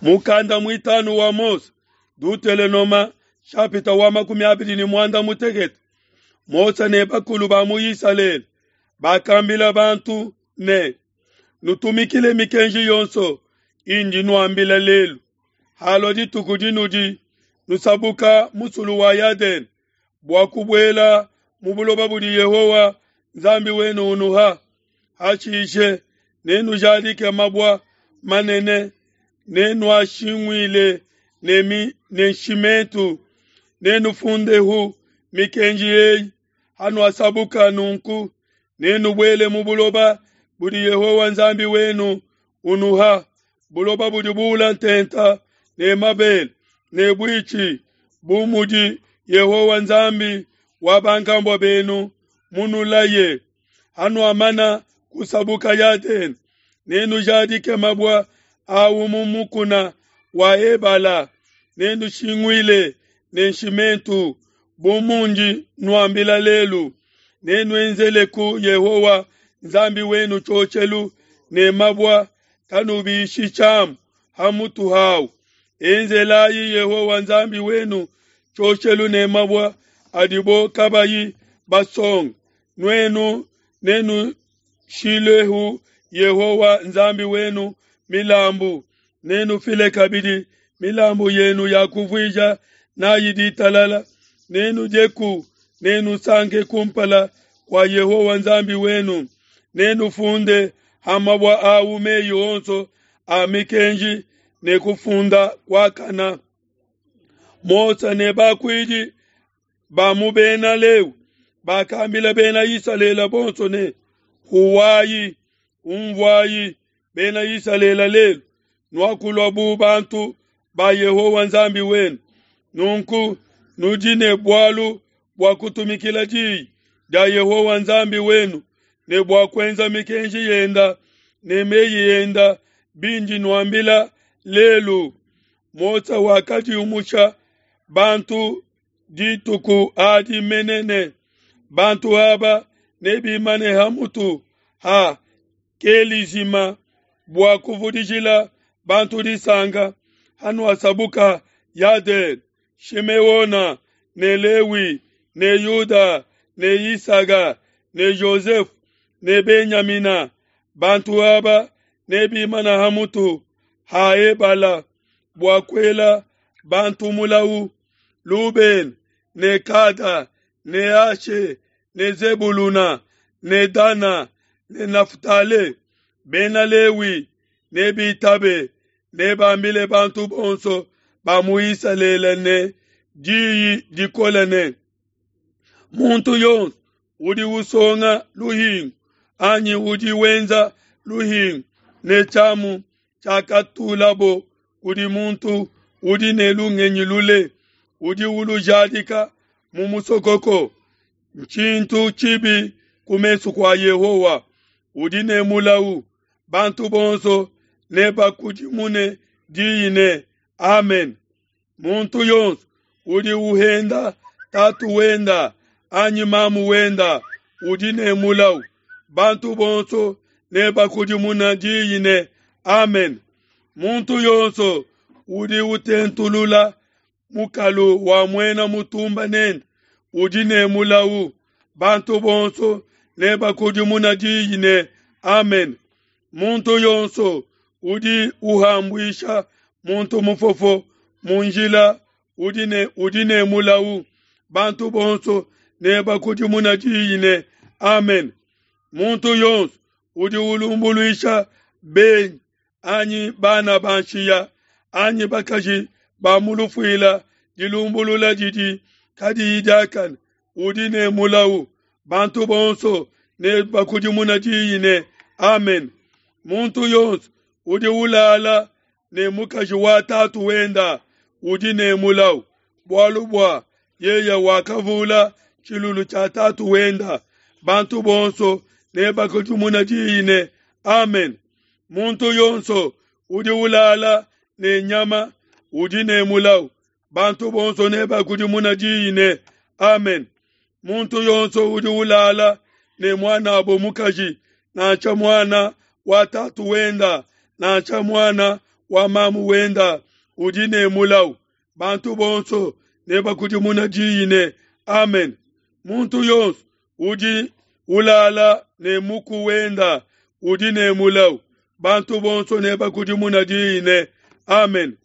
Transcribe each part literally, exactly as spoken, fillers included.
Mukanda muitanu wa Mose, Dutelenoma shapita wa makumi abidi ne muanda mutekete. Mose ne bakulu ba mu Isalele bakambila bantu ne, nutumikile mikenji yonso indi nuambila lelu. Halua dituku dinudi nusabuka musulu wa Yadene bua kubuela mu buloba budi Yehowa Nzambi wenu unuha. Hashishe nenujadike mabua manene, nenuashinguile ne mi ne nshimentu, nenufundehu mikenji eyi. Hanuasabuka nunku, nenubuele mu buloba budi Yehowa Nzambi wenu unuha, buloba budi buula ntenta ne mabele ne buitshi, bu mudi Yehowa Nzambi wa bankambua benu munulaye. Hanuamana kusabuka Yadene, nenujadike mabua awu mu mukuna wa Ebala, nenushinguile ne nshimentu, bu mundi nuambila lelu. Nenuenzeleku Yehowa Nzambi wenu tshioshelu ne mabua, kanubishi tshiamu ha mutu hawu. Enzelayi Yehowa Nzambi wenu tshioshelu ne mabua adibo kabayi basonga. Nuenu nenushilehu Yehowa Nzambi wenu milambu, nenufile kabidi milambu yenu ya kuvuija nayi ditalala. Nenudieku, nenusanke kumpala kua Yehowa Nzambi wenu. Nenufunde ha mabua awu meyi onso a mikenji ne kufunda kuakana. Mose ne bakuidi ba mu Bena Lewi bakambila Bena Isalele bonso ne, huwayi, umvuayi Bena Isalele lelu, nuakulua bu bantu ba Yehowa Nzambi wenu. Nunku nudi ne bualu bua kutumikila diyi dia Yehowa Nzambi wenu ne bua kuenza mikenji yenda ne meyi enda bindi nuambila lelu. Mose wakadiumusha bantu dituku adi menene. Bantu aba nebimane ha mutu ha Kelizima bua kuvudijila bantu disanka. Hanuasabuka Yadene, Shimeona ne Lewi ne Yuda ne Isaga ne Joseph ne Benyamina, bantu aba nebimana ha mutu ha Ebala bua kuela bantu mulau. Luben ne Kada ne Ashe ne Zebuluna ne Dana ne Naftale. Bena Lewi nebitabe, nebambile bantu bonso ba mu Isalele ne diyi dikole ne, muntu yonso udi usonga luhingu anyi udi wenza luhingu ne tshiamu tshiakatulabo kudi muntu udi ne lungenyi lule, udi ulujadika mu musokoko, ntshintu tshibi ku mesu kua Yehowa, udi ne mulau. Bantu bonso nebakudimune diyi ne, amen. Muntu yonso udi uhenda tatu wenda anyi mamu wenda udi ne mulau. Bantu bonso nebakudimuna diyi ne, amen. Muntu yonso udi utentulula mukalu wa muena mutumba nende udi ne mulau. Bantu bonso nebakudimuna diyi ne, amen. Muntu yonso udi uhambuisha muntu mufofo mu njila udi ne udi ne mulau. Bantu bonso nebakudimuna diyi ne, amen. Muntu yonso udi ulumbuluisha benyi anyi bana ba nshiya anyi bakaji ba mu lufuila dilumbulula didi kadiyi diakane udi ne mulau. Bantu bonso nebakudimuna diyi ne, amen. Muntu yonso udi ulala ne mukaji wa tatu wenda udi ne mulau, bualu bua yeye wakavula tshilulu tshia tatu wenda. Bantu bonso nebakudimuna diyi ne, amen. Muntu yonso udi ulala ne nyama udi ne mulau. Bantu bonso nebakudimuna diyi ne, amen. Muntu yonso udi ulala ne muanabo mukaji, nansha muana wa tatu wenda, nansha muana wa mamu wenda udi ne mulawu. Bantu bonso nebakudimuna diyi ne, Amen. Muntu yonso udi ulala ne muku wenda udi ne mulawu. Bantu bonso nebakudimuna diyi ne, Amen.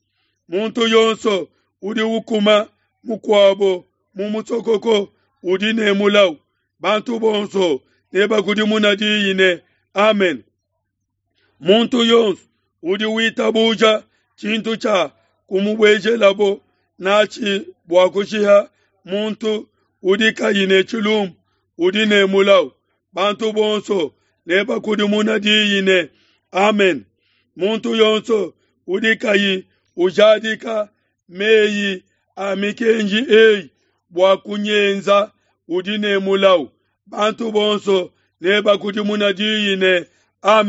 Muntu yonso udi ukuma mukuabo mu musokoko udi ne mulawu. Bantu bonso nebakudimuna diyi ne, Amen. Muntu yonso udi witabuja tshintu tshia kumubuejelabo natshi bua kushiha muntu udi kayi ne tshilumbu udi ne mulawu. Bantu bonso nebakudimuna diyi ne, Amen. Muntu yonso udi kayi ujadika meyi a mikenji eyi bua kunyenza udi ne mulawu. Bantu bonso nebakudimuna diyi ne, Amen.